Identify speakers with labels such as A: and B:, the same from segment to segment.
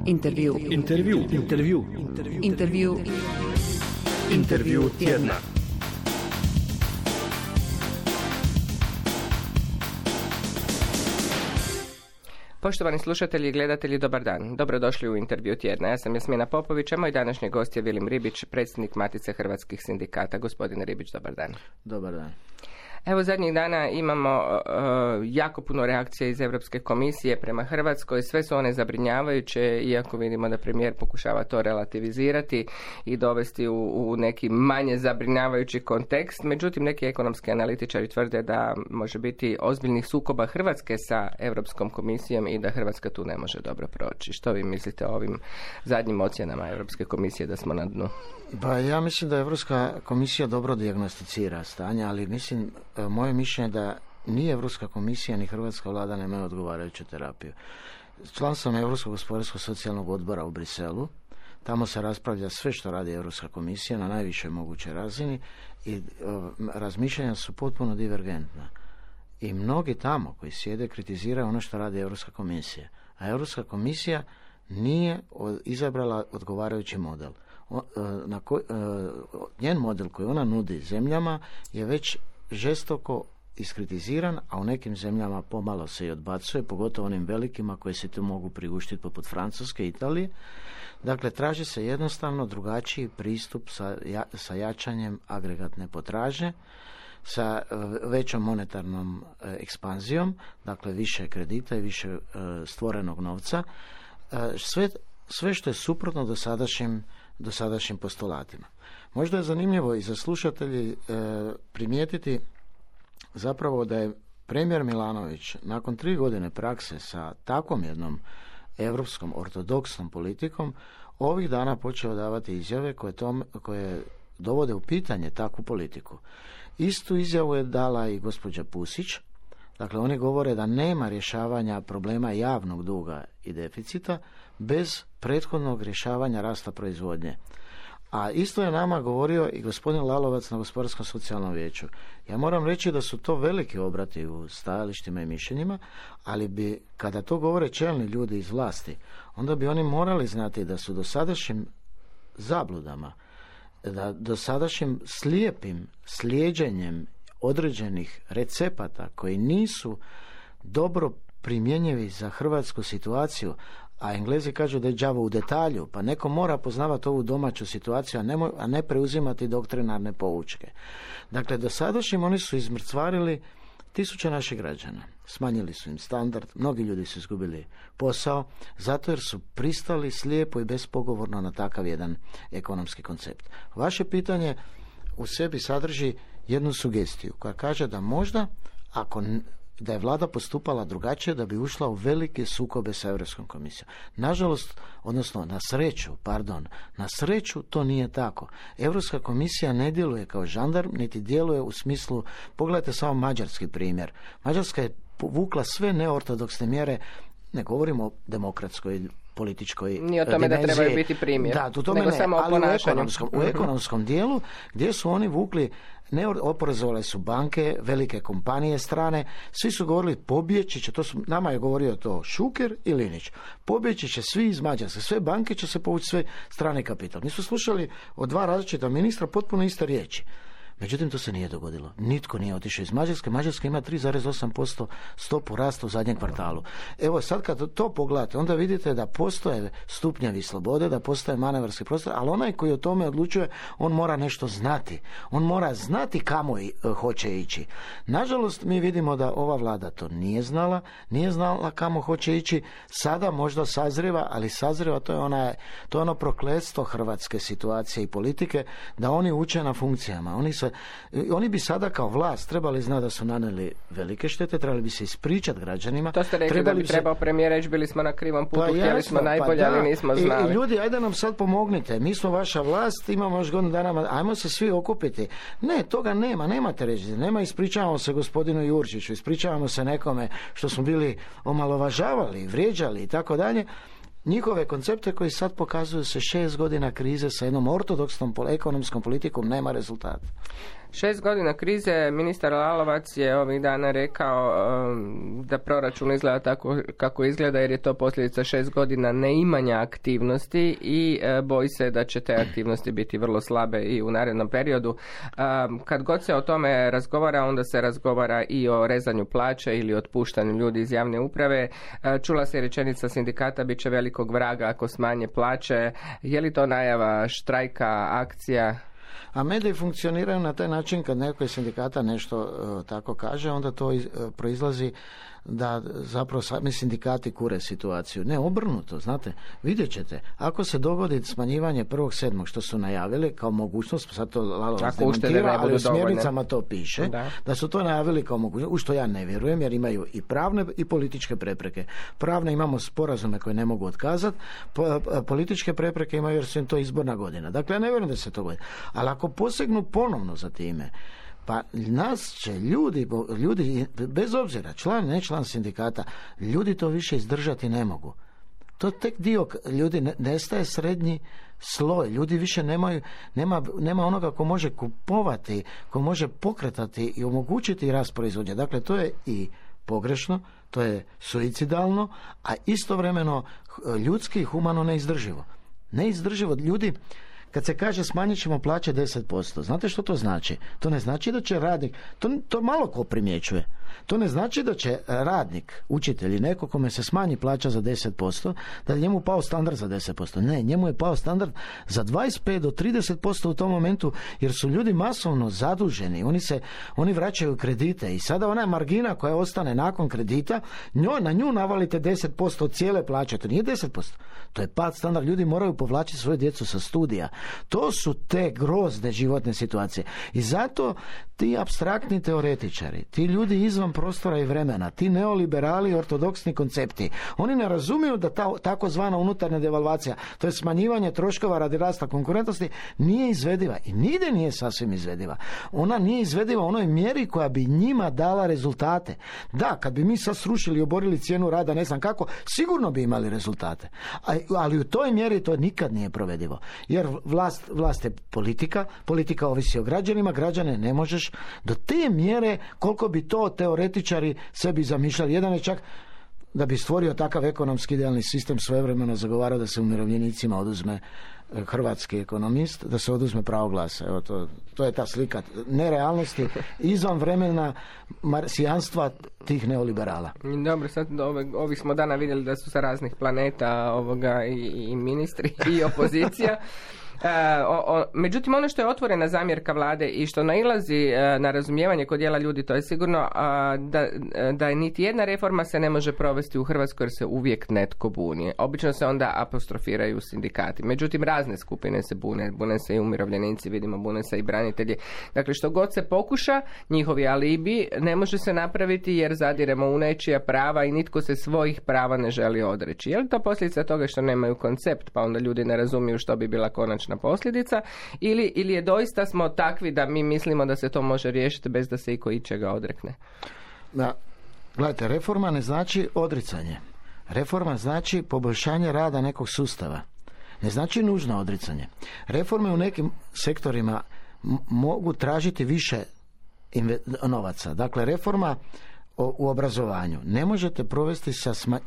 A: Intervju tjedna.
B: Poštovani slušatelji i gledatelji, dobar dan. Dobrodošli u Intervju tjedna. Ja sam Jasmina Popović, a moj današnji gost je Vilim Ribić, predsjednik Matice hrvatskih sindikata. Gospodine Ribić, dobar dan.
C: Dobar dan.
B: Evo, zadnjih dana imamo jako puno reakcija iz Europske komisije prema Hrvatskoj. Sve su one zabrinjavajuće, iako vidimo da premijer pokušava to relativizirati i dovesti u neki manje zabrinjavajući kontekst. Međutim, neki ekonomski analitičari tvrde da može biti ozbiljnih sukoba Hrvatske sa Europskom komisijom i da Hrvatska tu ne može dobro proći. Što vi mislite o ovim zadnjim ocjenama Europske komisije da smo na dnu?
C: Pa ja mislim da Europska komisija dobro dijagnosticira stanje, ali mislim, moje mišljenje da ni Europska komisija ni hrvatska vlada nemaju odgovarajuću terapiju. Član sam Europskog gospodarskog socijalnog odbora u Briselu. Tamo se raspravlja sve što radi Europska komisija na najvišoj mogućoj razini i razmišljanja su potpuno divergentna. I mnogi tamo koji sjede kritiziraju ono što radi Europska komisija. A Europska komisija nije izabrala odgovarajući model. Njen model koji ona nudi zemljama je već žestoko iskritiziran, a u nekim zemljama pomalo se i odbacuje, pogotovo onim velikima koji se tu mogu priuštiti poput Francuske i Italije. Dakle, traži se jednostavno drugačiji pristup sa jačanjem agregatne potražnje, sa većom monetarnom ekspanzijom, dakle više kredita i više stvorenog novca, sve što je suprotno dosadašnjim postulatima. Možda je zanimljivo i za slušatelji primijetiti zapravo da je premijer Milanović nakon 3 godine prakse sa takvom jednom europskom ortodoksnom politikom ovih dana počeo davati izjave koje dovode u pitanje takvu politiku. Istu izjavu je dala i gospođa Pusić. Dakle, oni govore da nema rješavanja problema javnog duga i deficita bez prethodnog rješavanja rasta proizvodnje. A isto je nama govorio i gospodin Lalovac na Gospodarskom socijalnom vijeću. Ja moram reći da su to veliki obrati u stajalištima i mišljenjima, ali bi, kada to govore čelni ljudi iz vlasti, onda bi oni morali znati da su dosadašnjim zabludama, da dosadašnjim slijepim slijeđenjem određenih recepata koji nisu dobro primjenjivi za hrvatsku situaciju, a Englezi kažu da je đavo u detalju, pa neko mora poznavati ovu domaću situaciju, a ne preuzimati doktrinarne poučke. Dakle, dosadašnjim oni su izmrcvarili tisuće naših građana. Smanjili su im standard, mnogi ljudi su izgubili posao, zato jer su pristali slijepo i bespogovorno na takav jedan ekonomski koncept. Vaše pitanje u sebi sadrži jednu sugestiju koja kaže da možda, da je vlada postupala drugačije, da bi ušla u velike sukobe sa Europskom komisijom. Nažalost, odnosno na sreću to nije tako. Europska komisija ne djeluje kao žandarm, niti djeluje u smislu, pogledajte samo mađarski primjer. Mađarska je povukla sve neortodoksne mjere, ne govorimo o demokratskoj političkoj
B: ni o tome
C: dimenziji.
B: Da trebaju biti primjer.
C: Da, u tome
B: nego
C: ne,
B: samo
C: ali u ekonomskom dijelu gdje su oni vukli, oporezovale su banke, velike kompanije strane, svi su govorili pobjeći će, nama je govorio to Šuker i Linić, pobjeći će svi iz Mađarske, sve banke će se povući, sve strane kapital. Mi smo slušali od 2 različita ministra potpuno iste riječi. Međutim, to se nije dogodilo. Nitko nije otišao iz Mađarske. Mađarska ima 3,8% stopu rasta u zadnjem kvartalu. Evo, sad kad to pogledate, onda vidite da postoje stupnjevi slobode, da postoje manevarski prostor, ali onaj koji o tome odlučuje, on mora nešto znati. On mora znati kamo hoće ići. Nažalost, mi vidimo da ova vlada to nije znala kamo hoće ići. Sada možda sazriva, ali sazriva to je ono prokletstvo hrvatske situacije i politike, da oni uče na funkcijama. Oni bi sada kao vlast trebali znati da su nanijeli velike štete, trebali bi se ispričati građanima.
B: To ste rekli da bi trebao premijer reći, bili smo na krivom putu, htjeli smo najbolje, ali nismo znali.
C: I ljudi, ajde nam sad pomognite, mi smo vaša vlast, imamo još godinu dana, ajmo se svi okupiti. Ne, toga nemate reći. Nema, ispričavamo se gospodinu Jurčiću, ispričavamo se nekome što smo bili omalovažavali, vrijeđali i tako dalje. Njihove koncepte koji sad pokazuju se 6 godina krize sa jednom ortodoksnom ekonomskom politikom nema rezultata.
B: 6 godina krize, ministar Lalovac je ovih dana rekao da proračun izgleda tako kako izgleda jer je to posljedica 6 godina neimanja aktivnosti i boji se da će te aktivnosti biti vrlo slabe i u narednom periodu. Kad god se o tome razgovara, onda se razgovara i o rezanju plaća ili otpuštanju ljudi iz javne uprave. Čula se rečenica sindikata, bit će velikog vraga ako smanje plaće. Je li to najava štrajka, akcija?
C: A mediji funkcioniraju na taj način kad neko iz sindikata nešto tako kaže, onda to proizlazi da zapravo sami sindikati kure situaciju. Ne, obrnuto, znate, vidjet ćete, ako se dogodi smanjivanje 1.7. što su najavili kao mogućnost, sad to Lalovac demantira, ali u smjernicama to piše, da su to najavili kao mogućnost, u što ja ne vjerujem, jer imaju i pravne i političke prepreke. Pravne imamo sporazume koje ne mogu otkazati, političke prepreke imaju jer su im to izborna godina. Dakle, ja ne vjerujem da se to godi. Ali ako posegnu ponovno za time, pa nas će ljudi, bez obzira, član, ne član sindikata, ljudi to više izdržati ne mogu. To tek dio ljudi, nestaje srednji sloj, ljudi više nema onoga ko može kupovati, ko može pokretati i omogućiti rast proizvodnje. Dakle, to je i pogrešno, to je suicidalno, a istovremeno ljudski i humano neizdrživo. Neizdrživo, ljudi, kad se kaže smanjit ćemo plaće 10%, znate što to znači? To ne znači da će radnik, to malo ko primjećuje, to ne znači da će radnik, učitelj i neko kome se smanji plaća za 10%, da je njemu pao standard za 10%. Ne, njemu je pao standard za 25 do 30% u tom momentu, jer su ljudi masovno zaduženi, oni vraćaju kredite i sada ona margina koja ostane nakon kredita, na nju navalite 10% od cijele plaće, to nije 10%, to je pad standard, ljudi moraju povlačiti svoju djecu sa studija. To su te grozne životne situacije. I zato ti apstraktni teoretičari, ti ljudi izvan prostora i vremena, ti neoliberali ortodoksni koncepti, oni ne razumiju da ta takozvana unutarnja devalvacija, to je smanjivanje troškova radi rasta konkurentnosti, nije izvediva i nigdje nije sasvim izvediva. Ona nije izvediva u onoj mjeri koja bi njima dala rezultate. Da, kad bi mi sad srušili i oborili cijenu rada, ne znam kako, sigurno bi imali rezultate. Ali u toj mjeri to nikad nije provedivo. Jer vlast je politika ovisi o građanima, građane ne možeš do te mjere koliko bi to teoretičari sebi zamišljali. Jedan je čak da bi stvorio takav ekonomski idealni sistem svojevremeno zagovarao da se umirovljenicima oduzme, hrvatski ekonomist, da se oduzme pravo glasa. Evo to je ta slika nerealnosti izvan vremena marsijanstva tih neoliberala.
B: Dobro, sad ovih smo dana vidjeli da su sa raznih planeta i ministri i opozicija. Međutim, ono što je otvorena zamjerka vlade i što nailazi na razumijevanje kod dijela ljudi, to je sigurno da niti jedna reforma se ne može provesti u Hrvatskoj jer se uvijek netko buni. Obično se onda apostrofiraju sindikati. Međutim, razne skupine se bune se i umirovljenici, vidimo, bune se i branitelji. Dakle, što god se pokuša, njihovi alibi ne može se napraviti jer zadiremo u nečija prava i nitko se svojih prava ne želi odreći. Je li to posljedica toga što nemaju koncept, pa onda ljudi ne razumiju što bi bila konačna posljedica, ili je doista smo takvi da mi mislimo da se to može riješiti bez da se iko ičega odrekne?
C: Gledajte, reforma ne znači odricanje. Reforma znači poboljšanje rada nekog sustava. Ne znači nužno odricanje. Reforme u nekim sektorima mogu tražiti više novaca. Dakle, reforma u obrazovanju ne možete provesti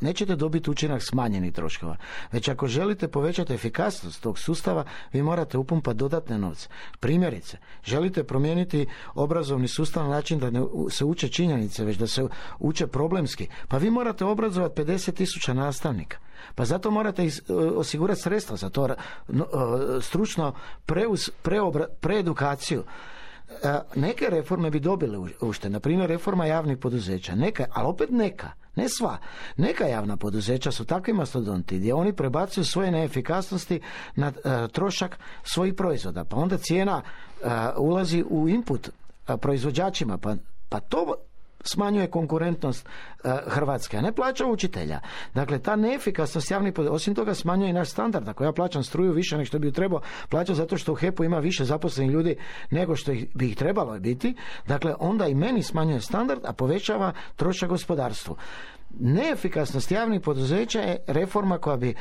C: nećete dobiti učinak smanjenih troškova. Već ako želite povećati efikasnost tog sustava, vi morate upumpati dodatne novce. Primjerice, želite promijeniti obrazovni sustav na način da ne se uče činjenice, već da se uče problemski. Pa vi morate obrazovati 50.000 nastavnika. Pa zato morate osigurati sredstva za to, stručno preedukaciju. Neke reforme bi dobile uštede, na primjer reforma javnih poduzeća, ali opet ne sva. Neka javna poduzeća su takvi mastodonti gdje oni prebacuju svoje neefikasnosti na trošak svojih proizvoda, pa onda cijena ulazi u input proizvođačima, pa to smanjuje konkurentnost Hrvatske, a ne plaća učitelja. Dakle, ta neefikasnost javnih poduzeća, osim toga smanjuje i naš standard. Ako ja plaćam struju više nego što bi trebao plaćati zato što u HEP-u ima više zaposlenih ljudi nego što bi ih trebalo biti, dakle, onda i meni smanjuje standard, a povećava trošak gospodarstvu. Neefikasnost javnih poduzeća je reforma koja bi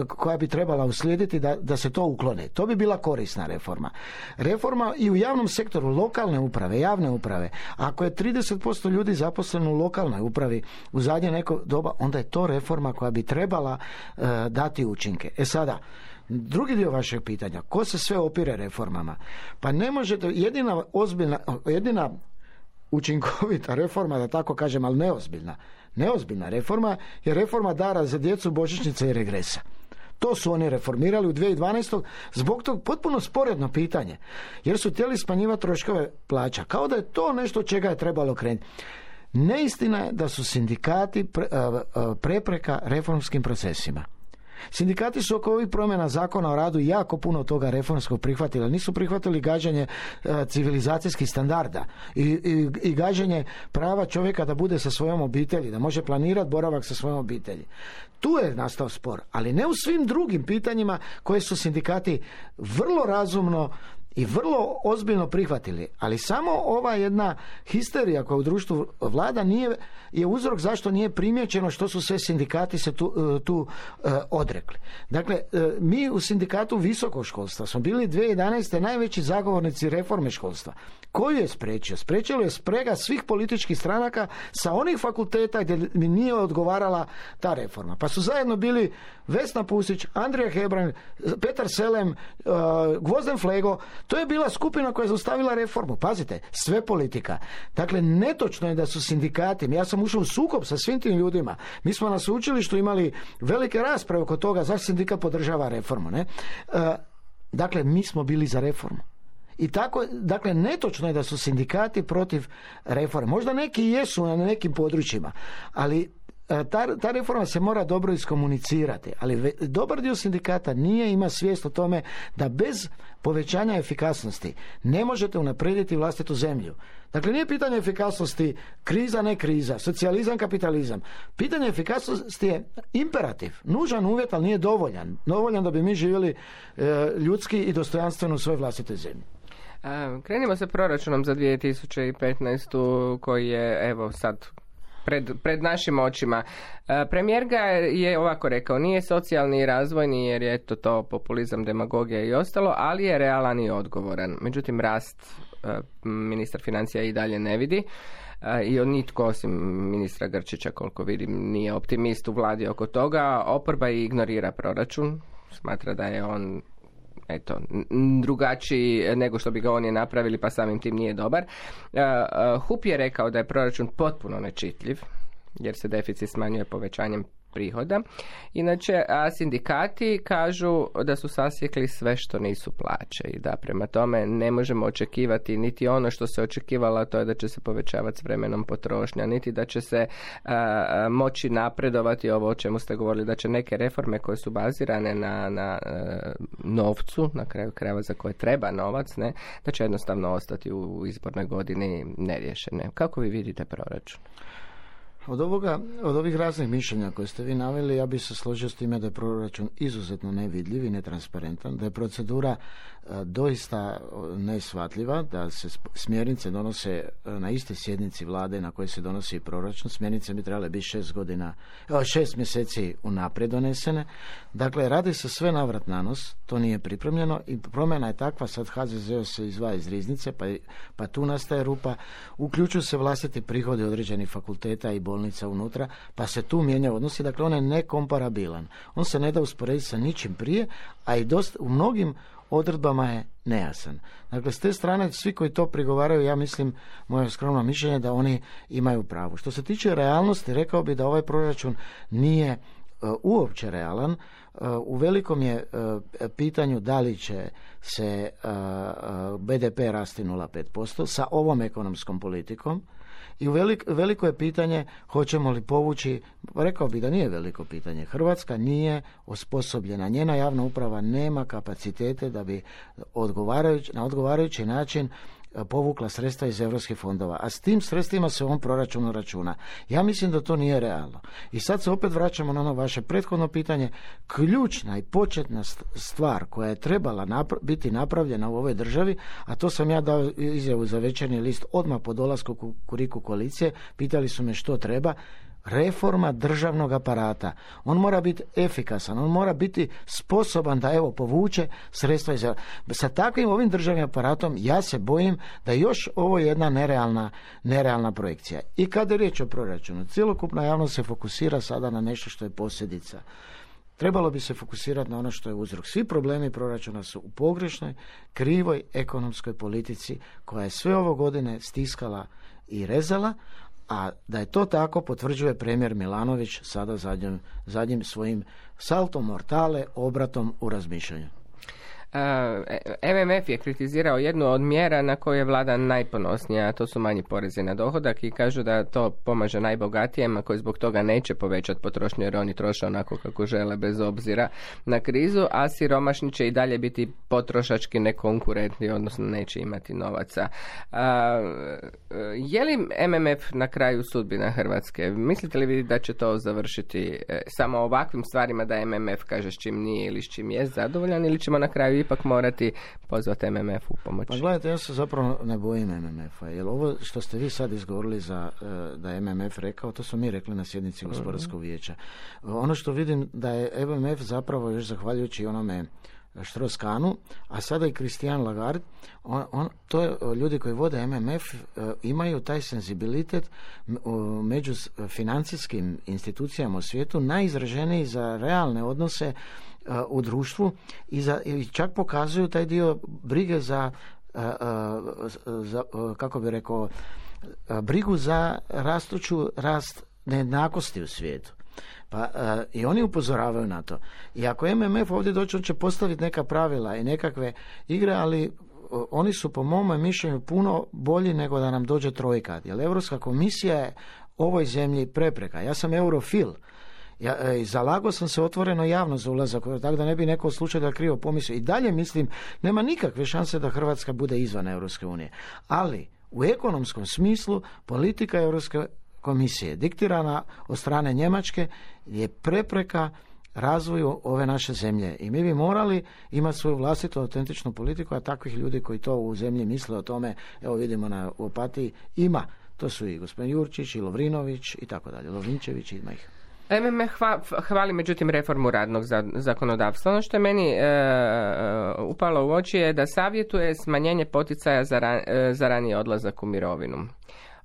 C: koja bi trebala uslijediti da se to uklone. To bi bila korisna reforma. Reforma i u javnom sektoru, lokalne uprave, javne uprave. Ako je 30% ljudi zaposleno u lokalnoj upravi u zadnje neko doba, onda je to reforma koja bi trebala dati učinke. Sada, drugi dio vašeg pitanja, ko se sve opire reformama? Pa ne možete, jedina učinkovita reforma, da tako kažem, ali neozbiljna reforma je reforma dara za djecu, božićnice i regresa. To su oni reformirali u 2012. Zbog tog potpuno sporedno pitanje, jer su htjeli smanjivati troškove plaća. Kao da je to nešto čega je trebalo krenuti. Neistina je da su sindikati prepreka reformskim procesima. Sindikati su oko ovih promjena zakona o radu jako puno toga reformskog prihvatili. Nisu prihvatili gađanje civilizacijskih standarda i gađanje prava čovjeka da bude sa svojom obitelji, da može planirati boravak sa svojom obitelji. Tu je nastao spor, ali ne u svim drugim pitanjima koje su sindikati vrlo razumno i vrlo ozbiljno prihvatili. Ali samo ova jedna histerija koja u društvu vlada je uzrok zašto nije primijećeno što su sve sindikati se tu odrekli. Dakle, mi u sindikatu visokog školstva smo bili 2011. najveći zagovornici reforme školstva. Koju je spriječio? Spriječilo je sprega svih političkih stranaka sa onih fakulteta gdje mi nije odgovarala ta reforma. Pa su zajedno bili Vesna Pusić, Andrija Hebrang, Petar Selem, Gvozden Flego. To je bila skupina koja je zaustavila reformu. Pazite, sve politika. Dakle, netočno je da su sindikati, ja sam ušao u sukob sa svim tim ljudima. Mi smo na sveučilištu imali velike rasprave oko toga zašto sindikat podržava reformu. Ne? Dakle, mi smo bili za reformu. I tako, dakle, netočno je da su sindikati protiv reforme. Možda neki jesu na nekim područjima, ali ta reforma se mora dobro iskomunicirati, ali dobar dio sindikata ima svijest o tome da bez povećanja efikasnosti ne možete unaprijediti vlastitu zemlju. Dakle, nije pitanje efikasnosti kriza, ne kriza, socijalizam, kapitalizam. Pitanje efikasnosti je imperativ, nužan uvjet, ali nije dovoljan. Dovoljan da bi mi živjeli ljudski i dostojanstveno u svojoj vlastitoj zemlji.
B: Krenimo sa proračunom za 2015. koji je, evo sad, pred našim očima. Premijer ga je ovako rekao, nije socijalni i razvojni jer je to populizam, demagogija i ostalo, ali je realan i odgovoran. Međutim, rast ministar financija i dalje ne vidi i nitko osim ministra Grčića, koliko vidim, nije optimist u vladi oko toga. Oporba ignorira proračun, smatra da je on drugačiji nego što bi ga oni napravili, pa samim tim nije dobar. HUP je rekao da je proračun potpuno nečitljiv, jer se deficit smanjuje povećanjem prihoda. Inače, sindikati kažu da su sasjekli sve što nisu plaće i da prema tome ne možemo očekivati niti ono što se očekivalo, a to je da će se povećavati s vremenom potrošnja, niti da će se moći napredovati ovo o čemu ste govorili, da će neke reforme koje su bazirane na novcu, na kraju krajeva za koje treba novac, ne, da će jednostavno ostati u izbornoj godini neriješene. Kako vi vidite proračun?
C: Od ovih raznih mišljenja koje ste vi naveli, ja bih se složio s time da je proračun izuzetno nevidljiv i netransparentan, da je procedura doista neshvatljiva, da se smjernice donose na istoj sjednici vlade na kojoj se donosi proračun. Smjernice bi trebale biti 6 mjeseci unaprijed donesene. Dakle, radi se sve navrat na nos, to nije pripremljeno i promjena je takva, sad HZZO se izdvaja iz riznice, pa tu nastaje rupa, uključuju se vlastiti prihodi određenih fakulteta i bolnica unutra, pa se tu mijenjaju odnosi, dakle on je nekomparabilan. On se ne da usporediti sa ničim prije, a i u mnogim odredbama je nejasan. Dakle, s te strane, svi koji to prigovaraju, ja mislim, moje skromno mišljenje da oni imaju pravo. Što se tiče realnosti, rekao bi da ovaj proračun nije uopće realan. U velikom je pitanju da li će se BDP rasti 0,5% sa ovom ekonomskom politikom. I veliko je pitanje hoćemo li povući, rekao bi da nije veliko pitanje. Hrvatska nije osposobljena, njena javna uprava nema kapacitete da bi na odgovarajući način povukla sredstva iz europskih fondova, a s tim sredstvima se u ovom proračunu računa. Ja mislim da to nije realno. I sad se opet vraćamo na ono vaše prethodno pitanje. Ključna i početna stvar koja je trebala biti napravljena u ovoj državi, a to sam ja dao izjavu za Večernji list odmah po dolasku Kukuriku koalicije, pitali su me što treba. reforma državnog aparata. On mora biti efikasan, on mora biti sposoban da povuče sredstva iz... Sa takvim ovim državnim aparatom ja se bojim da još ovo je jedna nerealna projekcija. I kada je riječ o proračunu, cjelokupna javnost se fokusira sada na nešto što je posljedica. Trebalo bi se fokusirati na ono što je uzrok. Svi problemi proračuna su u pogrešnoj, krivoj ekonomskoj politici koja je sve ovo godine stiskala i rezala, a da je to tako potvrđuje premijer Milanović sada zadnjim svojim saltom mortale, obratom u razmišljanju.
B: MMF je kritizirao jednu od mjera na koju je vlada najponosnija, a to su manji porezi na dohodak i kažu da to pomaže najbogatijima koji zbog toga neće povećati potrošnju jer oni troše onako kako žele bez obzira na krizu, a siromašni će i dalje biti potrošački nekonkurentni, odnosno neće imati novaca. Je li MMF na kraju sudbina Hrvatske? Mislite li vi da će to završiti samo ovakvim stvarima da MMF kaže s čim nije ili s čim je zadovoljan, ili ćemo na kraju ipak morati pozvati MMF u pomoć?
C: Pa gledajte, ja se zapravo ne bojim MMF-a, jer ovo što ste vi sad izgovorili da je MMF rekao, to smo mi rekli na sjednici gospodarskog vijeća. Ono što vidim da je MMF zapravo još zahvaljujući onome Strauss-Kahnu, a sada i Christine Lagarde, to je, ljudi koji vode MMF imaju taj senzibilitet među financijskim institucijama u svijetu najizraženiji za realne odnose u društvu i čak pokazuju taj dio brige za kako bi rekao, brigu za rast nejednakosti u svijetu. Pa i oni upozoravaju na to. I ako MMF ovdje doći, on će postaviti neka pravila i nekakve igre, ali oni su po mom mišljenju puno bolji nego da nam dođe trojka. Jer Europska komisija je ovoj zemlji prepreka. Ja sam eurofil. Zalagao sam se otvoreno javno za ulazak, tako da ne bi neko slučaj da krivo pomislio. I dalje mislim, nema nikakve šanse da Hrvatska bude izvan Europske unije. Ali u ekonomskom smislu politika Europske komisije diktirana od strane Njemačke je prepreka razvoju ove naše zemlje. I mi bi morali imati svoju vlastitu autentičnu politiku, a takvih ljudi koji to u zemlji misle o tome, evo vidimo u Opatiji, ima. To su i gospodin Jurčić, i Lovrinović, i tako dalje. Lovrinčević, ima ih.
B: MMF hvali međutim reformu radnog zakonodavstva. Ono što je meni upalo u oči je da savjetuje smanjenje poticaja za raniji odlazak u mirovinu,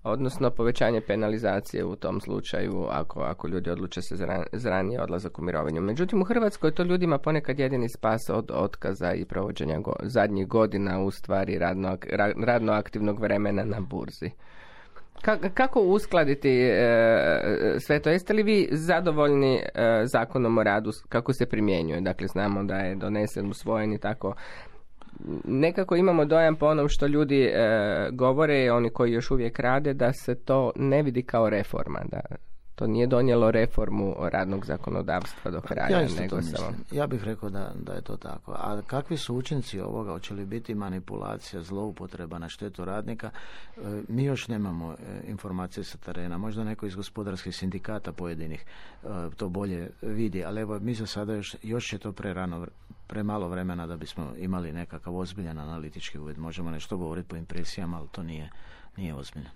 B: odnosno povećanje penalizacije u tom slučaju ako ljudi odluče se za raniji odlazak u mirovinu. Međutim, u Hrvatskoj to ljudima ponekad jedini spas od otkaza i provođenja zadnjih godina u stvari radno aktivnog vremena na burzi. Kako uskladiti sve to? Jeste li vi zadovoljni zakonom o radu kako se primjenjuje? Dakle, znamo da je donesen, usvojen i tako. Nekako imamo dojam po onom što ljudi govore, oni koji još uvijek rade, da se to ne vidi kao reforma, da to nije donijelo reformu radnog zakonodavstva do kraja.
C: Ja bih rekao da je to tako. A kakvi su učinci ovoga? Hoće li biti manipulacija, zloupotreba na štetu radnika? Mi još nemamo informacije sa terena. Možda neko iz gospodarskih sindikata pojedinih to bolje vidi, ali evo mi za sada još je to premalo vremena da bismo imali nekakav ozbiljan analitički uvid. Možemo nešto govoriti po impresijama, ali to nije ozbiljno.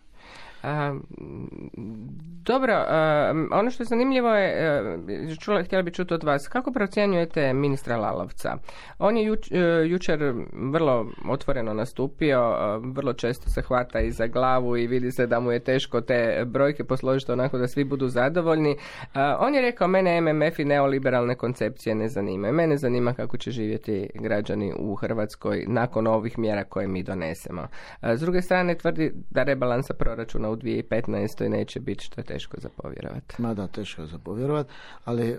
B: Dobro, ono što je zanimljivo je, htjela bi čuti od vas, kako procjenjujete ministra Lalovca? On je jučer vrlo otvoreno nastupio, vrlo često se hvata i za glavu i vidi se da mu je teško te brojke posložiti onako da svi budu zadovoljni. On je rekao, mene MMF i neoliberalne koncepcije ne zanimaju. Mene zanima kako će živjeti građani u Hrvatskoj nakon ovih mjera koje mi donesemo. S druge strane tvrdi da rebalansa proračuna u 2015. neće biti, što je teško za povjerovati.
C: Mada teško za povjerovati, ali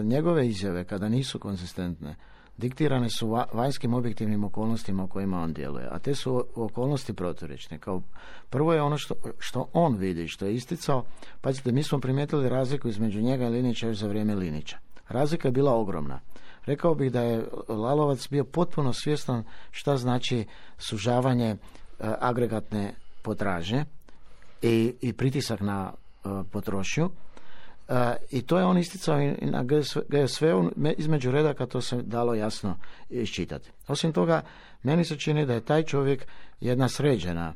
C: njegove izjave kada nisu konzistentne diktirane su vanjskim objektivnim okolnostima u kojima on djeluje, a te su okolnosti proturječne. Kao prvo je ono što on vidi, što je isticao. Pazite, mi smo primijetili razliku između njega i Linića još za vrijeme Linića. Razlika je bila ogromna. Rekao bih da je Lalovac bio potpuno svjestan šta znači sužavanje agregatne potražnje i pritisak na potrošnju. I to je on isticao i na GSV-u, između redaka to se dalo jasno iščitati. Osim toga, meni se čini da je taj čovjek jedna sređena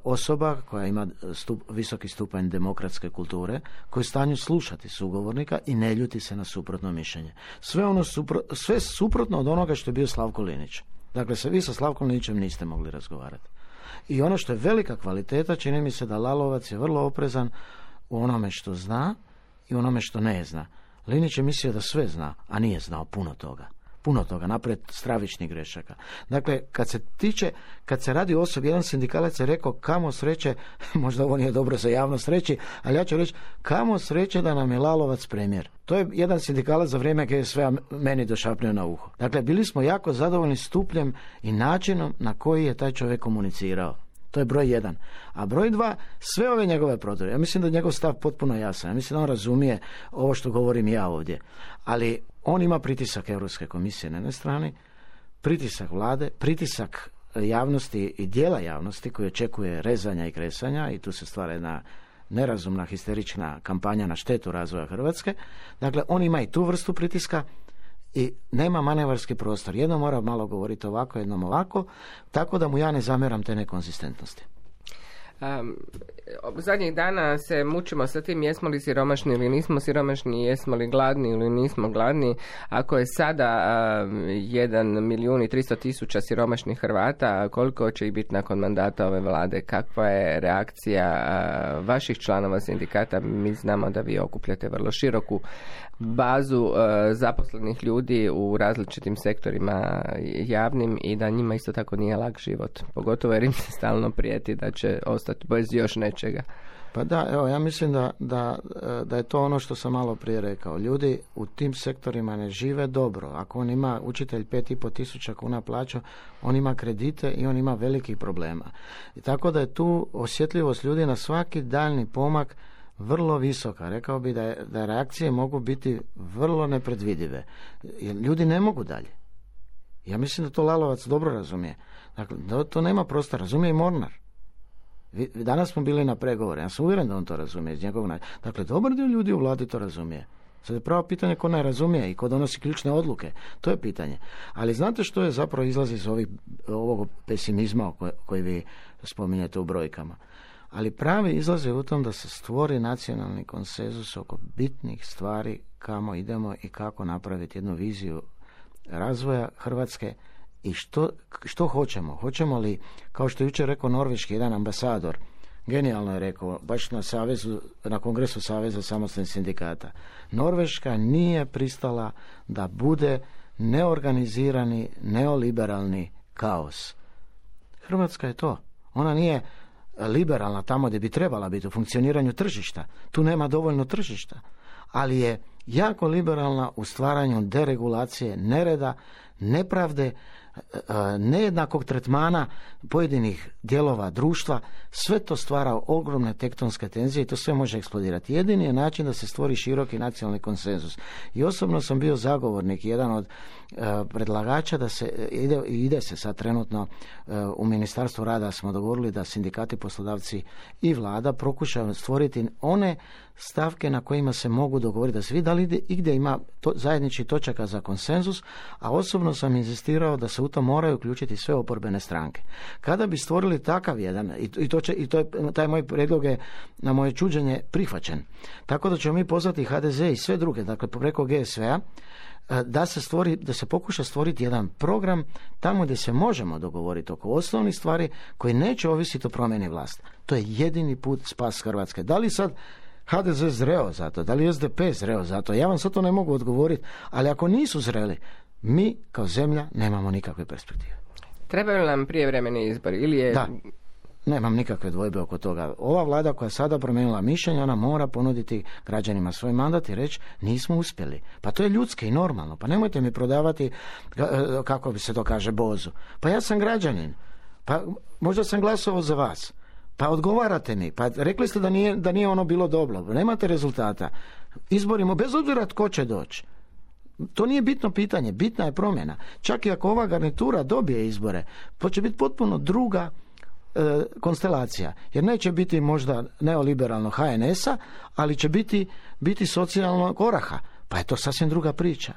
C: osoba koja ima visoki stupanj demokratske kulture, koja je u stanju slušati sugovornika i ne ljuti se na suprotno mišljenje. Sve suprotno od onoga što je bio Slavko Linić. Dakle, vi sa Slavkom Linićem niste mogli razgovarati. I ono što je velika kvaliteta, čini mi se da Lalovac je vrlo oprezan u onome što zna i onome što ne zna. Linić je mislio da sve zna, a nije znao puno toga, naprijed stravičnih grešaka. Dakle, kad se radi o osobi, jedan sindikalac je rekao kamo sreće, možda ovo nije dobro za javnost reći, ali ja ću reći kamo sreće da nam je Lalovac premijer. To je jedan sindikalac za vrijeme GSV-a meni došapnio na uho. Dakle, bili smo jako zadovoljni stupnjem i načinom na koji je taj čovjek komunicirao. To je broj 1. A broj 2, sve ove njegove prodore. Ja mislim da je njegov stav potpuno jasan. Ja mislim da on razumije ovo što govorim ja ovdje. Ali on ima pritisak Europske komisije na jednoj strani, pritisak vlade, pritisak javnosti i dijela javnosti koji očekuje rezanja i kresanja i tu se stvara jedna nerazumna, histerična kampanja na štetu razvoja Hrvatske. Dakle, on ima i tu vrstu pritiska i nema manevarski prostor. Jedno mora malo govoriti ovako, jednom ovako, tako da mu ja ne zamjeram te nekonzistentnosti.
B: Zadnjih dana se mučimo sa tim jesmo li siromašni ili nismo siromašni, jesmo li gladni ili nismo gladni. Ako je sada 1.300.000 siromašnih Hrvata, koliko će ih biti nakon mandata ove vlade? Kakva je reakcija vaših članova sindikata? Mi znamo da vi okupljate vrlo široku bazu zaposlenih ljudi u različitim sektorima javnim i da njima isto tako nije lak život. Pogotovo jer im se stalno prijeti da će ostati bez još nečega.
C: Pa da, evo, ja mislim da je to ono što sam malo prije rekao. Ljudi u tim sektorima ne žive dobro. Ako on ima učitelj 5.500 kuna plaću, on ima kredite i on ima velikih problema. I tako da je tu osjetljivost ljudi na svaki daljni pomak vrlo visoka. Rekao bi da reakcije mogu biti vrlo nepredvidive. Jer ljudi ne mogu dalje. Ja mislim da to Lalovac dobro razumije. Dakle, to nema prostora. Razumije i Mornar. Danas smo bili na pregovore. Ja sam uvjeren da on to razumije iz njegovog načina. Dakle, dobar dio ljudi u vladi to razumije. Sad je pravo pitanje ko ne razumije i ko donosi ključne odluke. To je pitanje. Ali znate što je zapravo izlazi iz ovog pesimizma koji vi spominjete u brojkama? Ali pravi izlaz je u tom da se stvori nacionalni konsenzus oko bitnih stvari kamo idemo i kako napraviti jednu viziju razvoja Hrvatske i što hoćemo. Hoćemo li, kao što je jučer rekao norveški jedan ambasador, genijalno je rekao, baš na kongresu Saveza samostalnih sindikata, Norveška nije pristala da bude neorganizirani, neoliberalni kaos. Hrvatska je to. Ona nije liberalna tamo gdje bi trebala biti u funkcioniranju tržišta. Tu nema dovoljno tržišta. Ali je jako liberalna u stvaranju deregulacije, nereda, nepravde, nejednakog tretmana pojedinih dijelova društva. Sve to stvara ogromne tektonske tenzije i to sve može eksplodirati. Jedini je način da se stvori široki nacionalni konsenzus. I osobno sam bio zagovornik, jedan od predlagača da se ide se sad trenutno u Ministarstvu rada smo dogovorili da sindikati, poslodavci i vlada pokušaju stvoriti one stavke na kojima se mogu dogovoriti da se vidi da li igdje ima zajedničkih točaka za konsenzus, a osobno sam inzistirao da se u to moraju uključiti sve oporbene stranke. Kada bi stvorili takav jedan, taj moj prijedlog je na moje čuđenje prihvaćen. Tako da ćemo mi pozvati HDZ i sve druge, dakle preko GSV-a, da se pokuša stvoriti jedan program tamo gdje se možemo dogovoriti oko osnovnih stvari koji neće ovisiti o promjeni vlasti. To je jedini put spas Hrvatske. Da li sad HDZ zreo za to, da li SDP zreo za to, ja vam sad to ne mogu odgovoriti, ali ako nisu zreli, mi kao zemlja nemamo nikakve perspektive.
B: Trebaju li nam prijevremeni izbori? Ili je...
C: Da, nemam nikakve dvojbe oko toga. Ova vlada koja je sada promijenila mišljenje, ona mora ponuditi građanima svoj mandat i reći nismo uspjeli. Pa to je ljudski i normalno. Pa nemojte mi prodavati, kako bi se to kaže, bozu. Pa ja sam građanin. Pa možda sam glasovao za vas. Pa odgovarate mi. Pa rekli ste da nije ono bilo dobro. Nemate rezultata. Izborimo bez obzira tko će doći. To nije bitno pitanje. Bitna je promjena. Čak i ako ova garnitura dobije izbore, to će biti potpuno druga konstelacija. Jer neće biti možda neoliberalno HNS-a, ali će biti socijalnog oraha. Pa je to sasvim druga priča.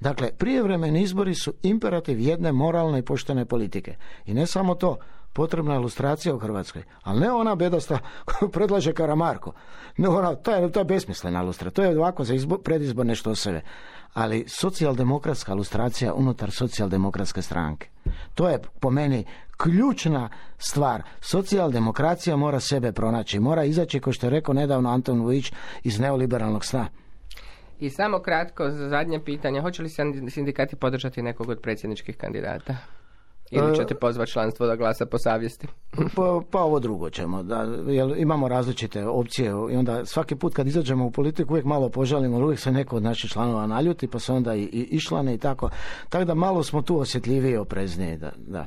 C: Dakle, prijevremeni izbori su imperativ jedne moralne i poštene politike. I ne samo to, potrebna ilustracija u Hrvatskoj, ali ne ona bedosta koju predlaže Karamarko. Ne ona, to je besmislena ilustracija, to je ovako za predizborne štoseve. Ali socijaldemokratska ilustracija unutar socijaldemokratske stranke. To je po meni ključna stvar. Socijaldemokracija mora sebe pronaći, mora izaći, kao što je rekao nedavno Anton Vujić, iz neoliberalnog sna.
B: I samo kratko, za zadnje pitanje, hoće li sindikati podržati nekog od predsjedničkih kandidata? Ili ćete pozvati članstvo da glasa po savjesti?
C: Pa ovo drugo ćemo. Jer imamo različite opcije i onda svaki put kad izađemo u politiku uvijek malo požalimo, uvijek se neko od naših članova naljuti, pa se onda i išlane i tako. Tako da malo smo tu osjetljiviji i oprezniji. Da.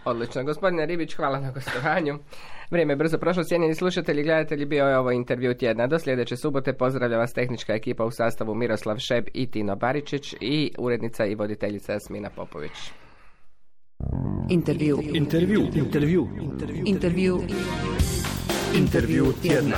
B: Odlično. Gospodine Ribić, hvala na gostovanju. Vrijeme je brzo prošlo. Cijenjeni slušatelji i gledatelji, bio je ovo intervju tjedna. Do sljedeće subote pozdravlja vas tehnička ekipa u sastavu Miroslav Šeb i Tino Baričić i urednica i voditeljica Jasmina Popović.
A: Intervju tjedna.